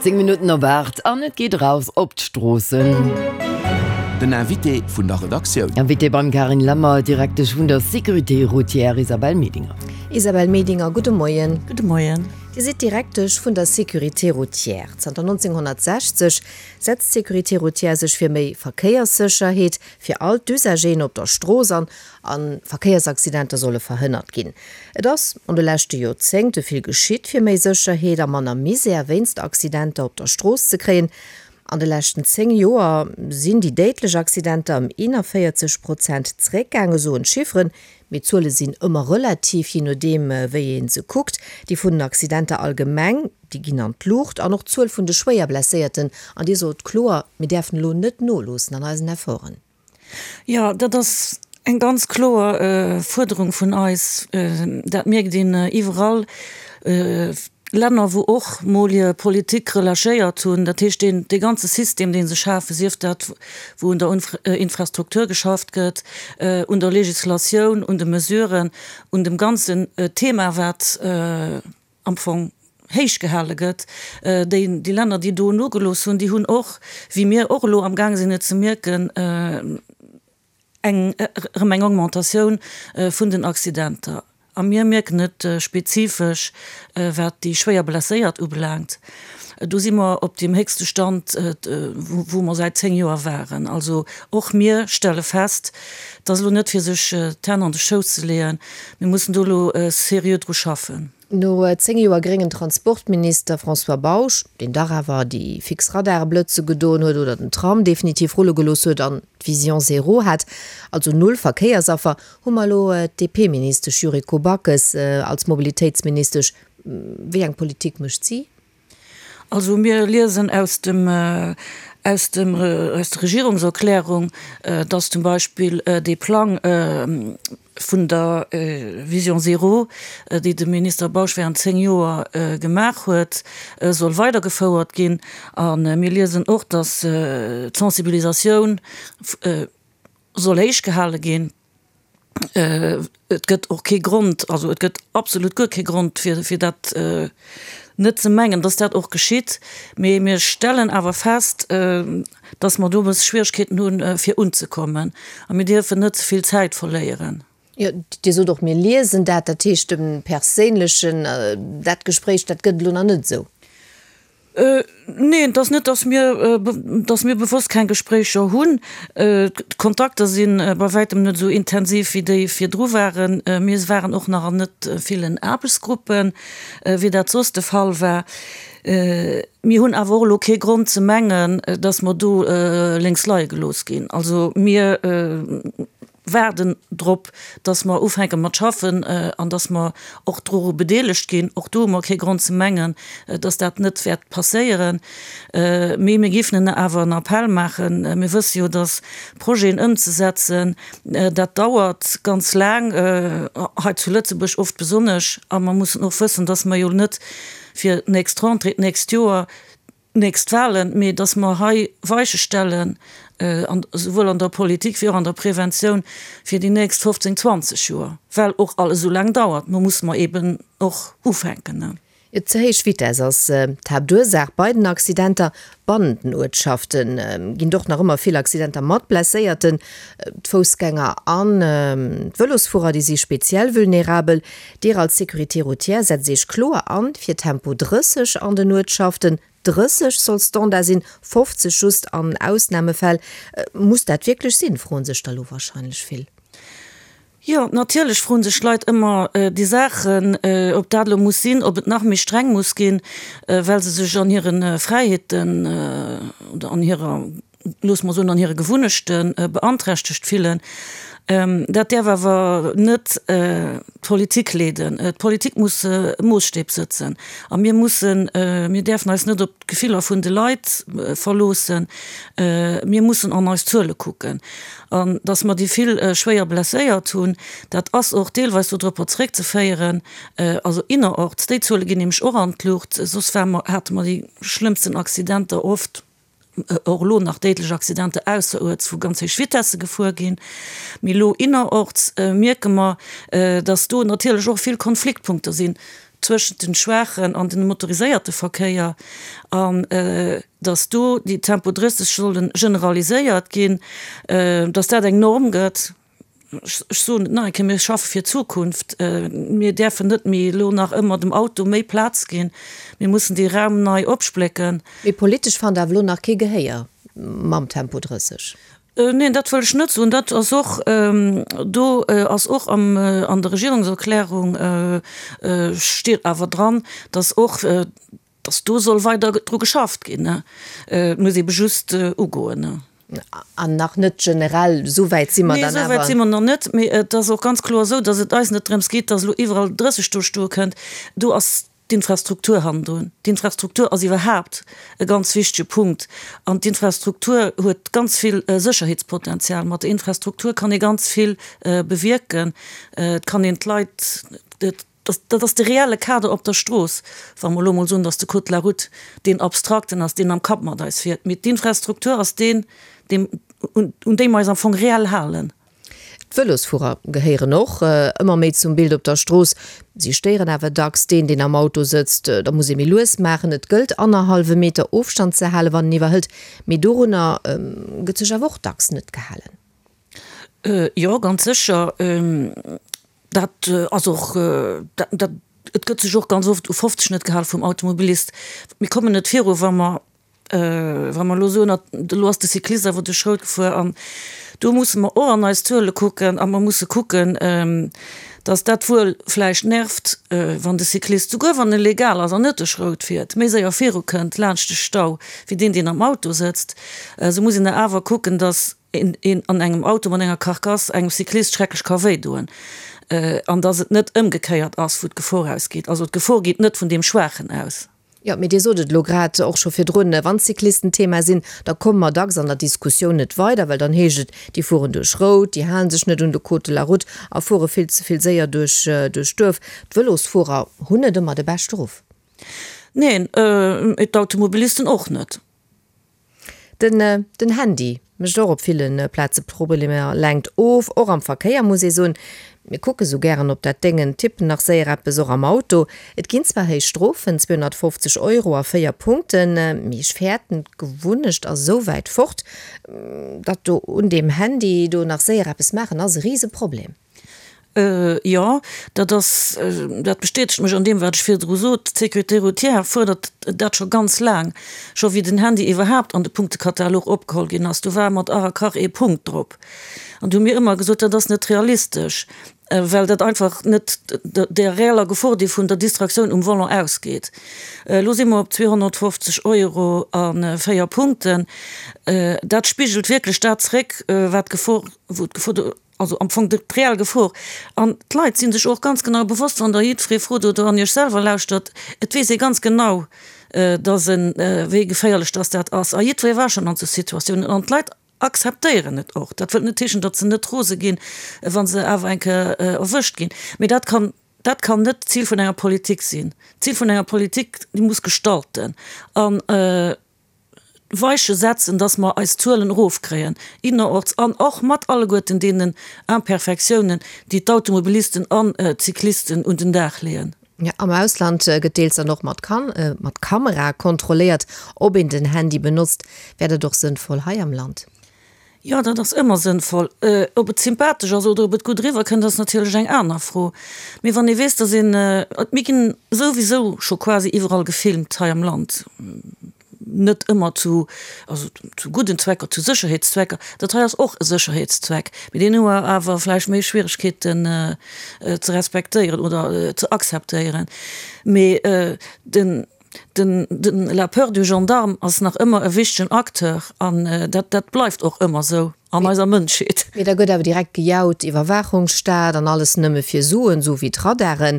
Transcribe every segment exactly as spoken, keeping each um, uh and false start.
Zéng Minutten op aacht an et geet eraus op d'Stroossen. Den Invité vun der Redaktioun. Invité beim Carine Lemmer, Direktesch vun der Sécurité routière Isabelle Medinger. Isabelle Medinger, gudde Moien. Gudde Moien. Dir sidd Direktesch vun der Sécurité routière. Zanter nonzénghonnertsechzeg setzt d'Sécurité routière sech fir méi Verkéierssécherheet fir all d'Usageren op der Strooss an, a Verkéiersaccidenter solle verhënnert ginn. Et ass an de leschte Joerzéngte vill geschitt, fir méi Sécherheet a manner Misär wéinst Accidenter op der Strooss ze kréien. An de leschten zéng Joer sinn déi déidlech Accidenter ëm eenanvéierzeg Prozent zeréckgaangen, soen d'Chifferen. Mee d'Zuele sinn ëmmer relativ, jee nodeem wéi ee se kuckt. Déi vun den Accidenter allgemeng, déi ginn an d'Luucht an och d'Zuel vun de schwéier Blesséierten. An Dir sot kloer, mir däerfen elo net noloossen an eisen Efforten. Jo, dat ass eng ganz kloer Fuerderung vun eis. Dat mierkt een iwwerall. Länner, wou och mol hir Politik relâchéiert hunn, dat heescht deen, dee ganze System, dee se schafen, sief dat wou un der Infrastruktur geschafft gëtt, un der Législatioun, un de Mesuren, un dem ganzen Thema, wat am Fong héich gehale gëtt, déi, déi Länner, déi do nogelooss hunn, déi hunn och, wéi mir och elo amgaang sinn et ze mierken, eng, erëm eng Augmentatioun vun den Accidenter. A mir mierken et spezifesch, wat déi schwéier Blesséiert ubelaangt. Do si mer op deem héchste Stand, wou mer säit zéng Joer waren. Also och mir stelle fest, et ass elo net fir sech d'Hänn an de Schouss ze leeën, mir mussen do elo seriö dru schaffen. No zéng Joer gréngen Transportminister François Bausch, deen dach awer déi fix Radare blëtze gedoen huet oder den Tram definitiv rulle gelooss huet an d'Vision zéro hat, also null Verkéiersaffer, hu mer elo d'DP-Ministesch Yuriko Backes als Mobilitéitsministesch. Wéi eng Politik mécht si? Also mir liesen aus dem, aus dem, aus der Regierungserklärung, dass zum Beispill dee Plang vun der Vision zéro, déi de Minister Bausch während zéng Joer gemaach huet, soll weidergefouert ginn. A mir liesen och, dass d'Sensibilisatioun soll héich gehale ginn. Et gëtt och kee Grond, also et gëtt absolut guer kee Grond, fir, fir dat net ze mengen, dass dat och geschitt. Mee mir stellen awer fest, dass mer do e bësse Schwierigkeeten hunn, fir unzekommen. A mir dierfen net ze vill Zäit verléieren. Jo, Dir sot och, mir liesen dat. Dat heescht, e perséinlechen, dat Gespréich, dat gëtt et elo nach net esou? Neen, et ass net, dass mir, dass mir bewosst keng Gespréicher hunn. D'Kontakter si bei wäitem net esou intensiv wéi déi virdru waren. Mir waren och nach an net villen Aarbechtsgruppen, wéi dat soss de Fall war. Mir hunn awer och elo kee Grond ze mengen, dass mer do lénks leie gelooss ginn. Also mir waarden drop, dass mer ufänke mat schaffen an dass mer och doru bedeelegt ginn. Och do hu mer kee Grond ze mengen, dass dat net wäert passéieren. Mee mir géifen awer en Appell maachen. Mir wësse jo, dass Projeten ëmzesetzen, dat dauert ganz laang, hei zu Lëtzebuerg oft besonnesch. A mer mussen och wëssen, dass mer jo net fir d'nächst Rentrée, d'nächst Joer, d'nächst Wahlen, mee dass mer hei Weiche stellen, esouwuel an der Politik wéi och an der Preventioun, fir déi nächst fofzéng, zwanzeg Joer, well och alles esou laang dauert. Mo musse mer eeben och ufänken. Ze héich Vitess ass d'Haaptursaach bei den Accidenter. Bannent den Uertschafte ginn et och nach ëmmer vill Accidenter mat Blesséierten. D'Foussgänger an d'Vëlosfuerer, déi si speziell vulnerabel. Dir als Sécurité routière setzt Iech kloer an fir Tempo drësseg an den Uertschaften. Drësseg soll Standard sinn, fofzeg just an Ausnamefäll. Muss dat wierklech sinn, froen sech da lo warscheinlech vill. Jo, natierlech froen sech d'Leit ëmmer déi Saachen, ob dat elo muss sinn, ob et nach méi streng muss ginn, well se sech an hire Fräiheeten oder an hirer, loosse mer soen, an hire Gewunnechte beanträchtegt fillen. Dat däerf awer net d'Politik leeden. D'Politik muss Moosstäb sëtzen a mir mussen, mir däerfen eis net op d'Gefiller vun de Leit verloossen. Mir mussen an eis Zuele kucken. An datt mer déi vill schwéier Blesséiert hunn, dat ass och deelweis dodropper zréckzeféieren, also innerorts, déi Zuele ginn nämlech och an d'Luucht, soss ware mer, hate mer déi schlëmmsten Accidenter oft, och elo nach déidlech Accidenter ausseruerts, wou ganz héich Vitesse gefuer ginn. Mee elo innerorts mierke mer, datt do natierlech och vill Konfliktpunkter sinn zwëschent den schwaachen an den motoriséierte Verkéier an dass do déi Tempo drësseg sollen generaliséiert ginn, dass dat eng Norm gëtt. Ech soen et nach eng Kéier, mir schaffe fir d'Zukunft. Mir däerfen net méi elo nach ëmmer dem Auto méi Plaz ginn. Mir mussen dee Raum nei opsplécken. Mee politesch fannt Der awer elo nach kee Gehéier mam Tempo drësseg? Neen, dat wëll ech net soen. Dat ass och, do ass och am, an der Regierungserklärung steet awer dran, dass och, dass do soll weider dru geschafft ginn. Et muss ebe just ugoen. An nach net generell, esou wäit si mer dann awer. Nee, esou wäit si mer nach net. Mee et ass och ganz kloer esou, dass et eis net drëms geet, dass elo iwwerall drësseg do stoe kënnt. Do ass d'Infrastruktur hannendrun. D'Infrastruktur ass iwwerhaapt e ganz wichtege Punkt. An d'Infrastruktur huet ganz vill Sécherheetspotenzial. Mat der Infrastruktur kann ee ganz vill bewierken. Et kann een d'Leit, dat ass de reelle Kader op der Strooss, wa mer elo emol soen, datt de Code de la route deen abstrakten ass, deen am Kapp mat eis fiert. Mee d'Infrastruktur ass deen, deen, un deem mer eis am Fong reell halen. D'Vëlosfuerer gehéieren och ëmmer méi zum Bild op der Strooss. Si stéieren awer dacks deen, deen am Auto sëtzt. Da muss ee méi lues maachen. Et gëllt annerhallwe Meter Ofstand ze halen, wann een iwwerhëlt. Mee dorunner gëtt sech awer och dacks net gehalen. Jo, ganz sécher. Dat ass och, dat, et gëtt sech och ganz oft u fofzeg net gehal vum Automobilist. Mir kommen net viru wa mer, wa mer elo soen, elo ass de Cyclist awer duerch Rout gefuer. An do musse mer och an eis Zuele kucken a mer musse kucken, datt dat wuel vläicht nervt, wann de Cyclist, souguer wann e legal ass an net duerch Rout fiert, méi séier virukënnt laanscht de Stau wéi deen, deen am Auto sëtzt. Esou muss een da awer kucken, datt een een an engem Auto mat enger Carcasse engem Cyclist schrecklech ka wéi doen an dass et net ëmgekéiert ass, wou d'Gefor ausgeet. Also d'Gefor geet net vun deem Schwaachen aus. Jo, mee Dir sot et elo grad och scho virdrun, wann d'Cyclisten Thema sinn, da komme mer dacks an der Diskussioun net weider, well dann heescht et, déi fueren duerch Rout, déi hale sech net un de Code de la route a fuere vill ze vill séier duerch duerch d'Duerf. D'Vëlosfuerer hunn net ëmmer de beschte Ruff. Neen, d'Automobilisten och net. Den den Handy mécht och op ville Plaze Problemer, lenkt of, och am Verkéier muss ee soen. Mir kucke sou gären op dat Déngen, tippen nach séier eppes, och am Auto. Et ginn zwar héich Strofen, zweehonnertfofzeg Euro a véier Punkten, mee ech fäerten, d'Gewunnecht ass esou wäit fort, datt do un deem Handy do nach séier eppes maachen ass e Riseproblem. Jo, dat ass, dat bestätegt mech an deem, wat ech virdru sot. D'Sécurité routière fuerdert dat scho ganz laang, scho wéi den Handy iwwerhaapt an de Punktekatalog opgeholl ginn ass. Do war mat Ach a Krach ee Punkt drop. An do hu mir ëmmer gesot, dat ass net realistesch, well dat einfach net der reeller Gefor, déi vun der Distraktioun um Volant ausgeet. Elo si mer op zweehonnertfofzeg Euro a véier Punkten. Dat spigelt wierklech dat zréck, wat d'Gefor, wou d'Gefor do, Also am Fong d'reell Gefor. An d'Leit si sech och ganz genau bewosst, wann Der jiddweree frot oder an Iech selwer lauschtert, et weess ee ganz genau, dass en, wéi geféierlech dass dat ass. A jiddweree war schonn an esou Situatiounen. An d'Leit akzeptéieren et och. Dat wëllt net heeschen, datt se net rose ginn, wa se awer eng Kéier erwëscht ginn. Mee dat kann, dat kann net d'Zil vun enger Politik sinn. D'Zil vun enger Politik, déi muss gestalten. An Weiche setzen, dass mer eis Zuelen erofkréien, innerorts an och mat alleguerten deenen Imperfektiounen, déi d'Automobilisten an d'Cyclisten un den Dag leeën. Jo, am Ausland gëtt deels dann och mat mat Kamera kontrolléiert, ob een den Handy benotzt. Wär dat och sënnvoll hei am Land? Jo, dat ass ëmmer sënnvoll. Ob et sympathesch ass oder ob et gutt eriwwer kënnt, ass natierlech eng aner Fro. Mee wann ee weess, dass een, mir ginn souwisou scho quasi iwwerall gefilmt hei am Land, net ëmmer zu, also zu gudden Zwecker, zu Sécherheetszwecker. Dat hei ass och e Sécherheetszweck, mee deen hu mer awer vläicht méi Schwieregkeeten ze respektéieren oder ze akzeptéieren. Mee den. Den, den, la peur du gendarme ass nach ëmmer e wichtegen Acteur an dat, dat bleift och ëmmer esou an eiser Mënschheet. Mee da gëtt awer direkt gejaut, Iwwerwaachungsstaat an alles nëmme fir Suen, esou wéi d'Radaren.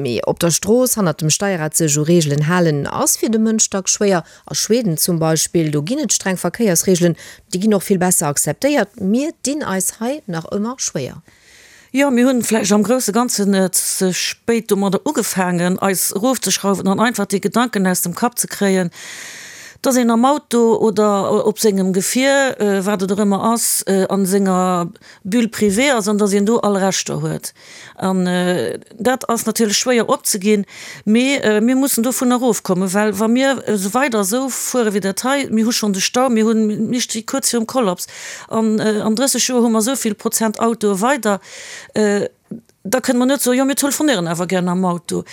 Mee op der Strooss, hannert dem Steierrad sech u Reegelen halen, ass fir de Mënsch dacks schwéier. A Schweden zum Beispill, do ginn et streng Verkéiersreegelen, déi ginn och vill besser akzeptéiert. Mir dinn eis hei nach ëmmer schwéier. Jo, mir hunn vläicht am grousse Ganzen ze spéit domadder ugefaangen, eis erofzeschrauwen an einfach dee Gedanken aus dem Kapp ze kréien, Dass een am Auto oder op sengem Gefier, wat et och ëmmer ass, a senger Bulle privée ass an dass een do all Rechter huet. An dat ass natierlech schwéier opzeginn, mee mir mussen dovun erofkommen, well wa mir esou weider esou fuere wéi dat hei, mir hu schonn de Stau, mir hunn, mir sti kuerz virum Kollaps an an drësseg Joer hu mer esou vill Prozent Autoe weider, da kënne mer net soen, jo mir telefonéieren awer gär am Auto.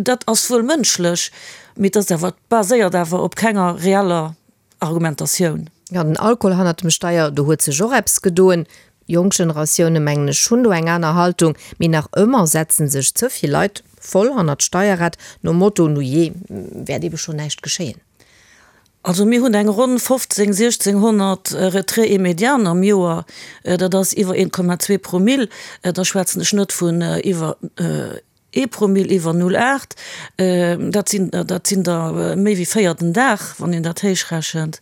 Dat ass wuel mënschlech, mee et ass awer, baséiert awer op kenger reeller Argumentatioun. Jo, den Alkohol hannert dem Steier, do huet sech och eppes gedoen. Jonk Generatioune mengen ech hunn do eng aner Haltung, mee nach ëmmer setzen sech ze vill Leit voll hannert d'Steierrad, nom Motto, nu jee, wäert ebe schonn näischt geschéien. Also mir hunn eng ronn fofzéng, siechzénghonnert Retraits immédiaten am Joer, dat ass iwwer een Komma zwee Promill, da schwätzen ech net vun iwwer ee Promill, iwwer null aacht, dat sinn, dat sinn der méi wéi véier den Dag, wann een dat héichrechent.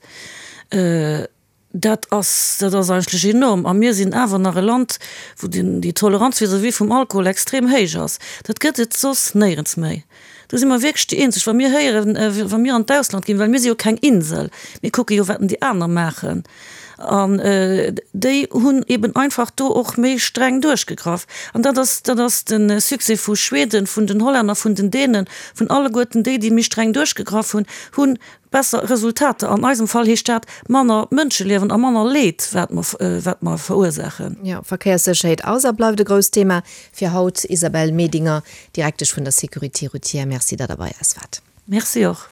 Dat ass, dat ass eigentlech enorm. A mir sinn awer nach e Land, wou den, déi Toleranz vis-à-vis vum Alkohol extrem héich ass. Dat gëtt et soss néierens méi. Do si mer wierklech déi eenzeg. Wa mir héieren, wa mir an d'Ausland ginn, well mir si jo keng Insel, mir kucke jo, wat déi aner maachen. An déi hunn eben einfach do och méi streng duerchgegraff. An dat ass, dat ass de Succès vu Schweden, vun den Hollänner, vun den Dänen, vun alleguerten déi, déi méi streng duerchgegraff hunn, hunn besser Resultater. An eisem Fall heescht dat manner Mënscheliewen a manner Leed, wat mer, wat mer verursaachen. Jo, Verkéierssécherheet ass a bleift e grousst Thema fir haut. Isabelle Medinger, Direktesch vun der Sécurité routière, Merci, datt Der bei eis waart. Merci och.